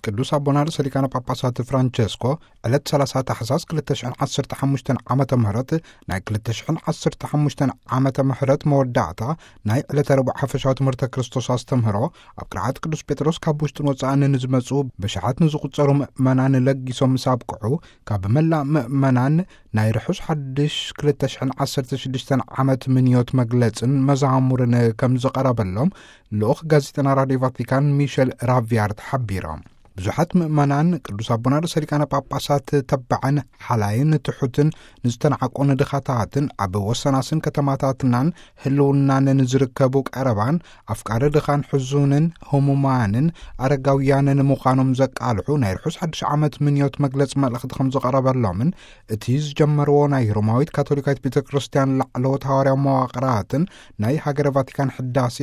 ቅዱስ ኣቦና ርእሰ ሊቃነ ጳጳሳት ፍራንቸስኮ ዕለት ሰላሳ ታሕሳስ ክልተ ሽሕን ዓሰርተ ሓሙሽተን ዓመተ ምህረት፣ ናይ ክልተ ሽሕን ዓሰርተ ሓሙሽተን ዓመተ ምህረት መወዳእታ ናይ ዕለተ ረቡዕ ሓፈሻዊ ትምህርተ ክርስቶስ ኣስተምህሮ፣ ኣብ ቅርዓት ቅዱስ ጴጥሮስ ካብ ውሽጥን ወጻእን ንዝመጹ ብሽሓት ንዝቑጸሩ ምእመናን ለጊሶም ምስ ኣብቅዑ፣ ካብ መላእ ምእመናን ናይ ርሑስ ሓድሽ ክልተ ሽሕን ዓሰርተ ሽዱሽተን ዓመት ምንዮት መግለጽን መዛሙርን ከም ዝቐረበሎም ልኡኽ ጋዜጠና ራድዮ ቫቲካን ሚሸል ራቪያርት ሓቢሮም። ብዙሓት ምእመናን ቅዱስ ኣቦና ርእሰ ሊቃነ ጳጳሳት ተባዕን ሓላይን ትሑትን ንዝተናዕቁን ድኻታትን ኣብ ወሰናስን ከተማታትናን ህልውናን ንዝርከቡ ቀረባን ኣፍቃሪ ድኻን ሕዙንን ህሙማንን ኣረጋውያንን ምዃኖም ዘቃልሑ ናይ ርሑስ ሓድሽ ዓመት ምንዮት መግለጽ መልእኽቲ ከም ዝቐረበሎምን እቲ ዝጀመርዎ ናይ ሮማዊት ካቶሊካዊት ቤተ ክርስቲያን ላዕለዎት ሃዋርያዊ መዋቕራትን ናይ ሃገረ ቫቲካን ሕዳሴ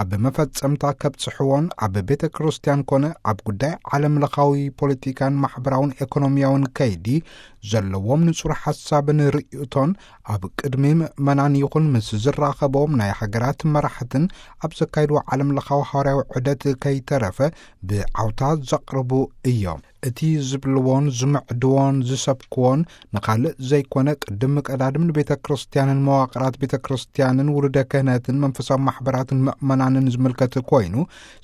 ኣብ መፈጸምታ ከብጽሕዎን ኣብ ቤተ ክርስቲያን ኮነ ኣብ ጉዳይ ዓለም ለኻዊ ፖለቲካን ማሕበራውን ኤኮኖሚያውን ከይዲ ዘለዎም ንጹር ሓሳብን ርእይቶን ኣብ ቅድሚ ምእመናን ይኹን ምስ ዝራኸቦም ናይ ሃገራት መራሕትን ኣብ ዘካይድዎ ዓለም ለኻዊ ሃዋርያዊ ዑደት ከይተረፈ ብዓውታ ዘቕርቡ እዮም። እቲ ዝብልዎን ዝምዕድዎን ዝሰብክዎን ንኻልእ ዘይኮነ፣ ቅድም ቀዳድም ንቤተ ክርስቲያንን መዋቕራት ቤተ ክርስቲያንን ውሉደ ክህነትን መንፈሳዊ ማሕበራትን ምእመናንን ዝምልከት ኮይኑ፣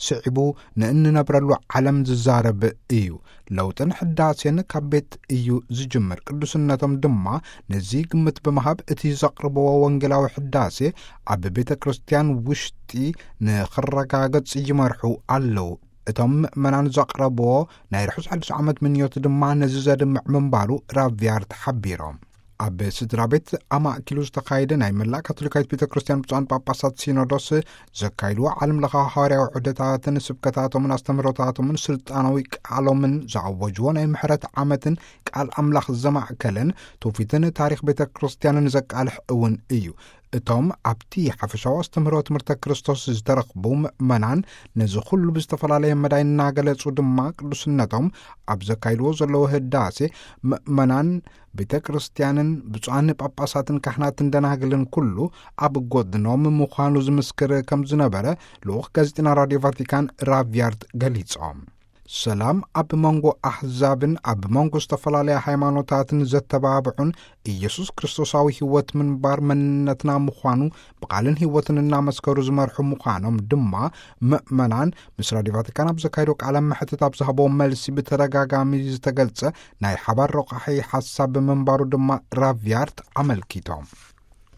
ስዒቡ ንእንነብረሉ ዓለም ዝዛረብ እዩ። ለውጥን ሕዳሴን ካብ ቤት እዩ ዝጅምር። ቅዱስነቶም ድማ ነዚ ግምት ብምሃብ፣ እቲ ዘቕርብዎ ወንጌላዊ ሕዳሴ ኣብ ቤተ ክርስቲያን ውሽጢ ንኽረጋገጽ ይመርሑ ኣለዉ። እቶም ምእመናን ዘቕረብዎ ናይ ርሑስ ሓድሽ ዓመት ምንዮት ድማ ነዚ ዘድምዕ ምንባሩ ራቪያርት ሓቢሮም። ኣብ ስድራ ቤት ኣማእኪሉ ዝተኻየደ ናይ መላእ ካቶሊካዊት ቤተ ክርስቲያን ብፁዓን ጳጳሳት ሲኖዶስ ዘካይድዎ ዓለም ለኻዊ ሃዋርያዊ ዑደታትን ስብከታቶምን ኣስተምህሮታቶምን ስልጣናዊ ቃሎምን ዘኣወጅዎ ናይ ምሕረት ዓመትን ቃል ኣምላኽ ዘማእከለን ትውፊትን ታሪኽ ቤተ ክርስቲያንን ዘቃልሕ እውን እዩ። እቶም ኣብቲ ሓፈሻዊ ኣስተምህሮ ትምህርተ ክርስቶስ ዝተረኽቡ ምእመናን ነዚ ኩሉ ብዝተፈላለየ መዳይ እናገለጹ ድማ ቅዱስነቶም ኣብ ዘካይድዎ ዘለዉ ህዳሴ ምእመናን ቤተ ክርስቲያንን ብፁዓን ጳጳሳትን ካህናትን ደናግልን ኩሉ ኣብ ጎድኖም ምዃኑ ዝምስክር ከም ዝነበረ ልኡኽ ጋዜጠና ራድዮ ቫቲካን ራቪያርት ገሊጾም። ሰላም ኣብ መንጎ ኣሕዛብን ኣብ መንጎ ዝተፈላለያ ሃይማኖታትን ዘተባብዑን ኢየሱስ ክርስቶሳዊ ህይወት ምንባር መንነትና ምዃኑ ብቓልን ህይወትን እናመስከሩ ዝመርሑ ምዃኖም ድማ ምእመናን ምስ ራድዮ ቫቲካን ኣብ ዘካየዶ ቃለ መሕትት ኣብ ዝሃቦ መልሲ ብተደጋጋሚ ዝተገልጸ ናይ ሓባር ረቋሒ ሓሳብ ምንባሩ ድማ ራቪያርት ኣመልኪቶም።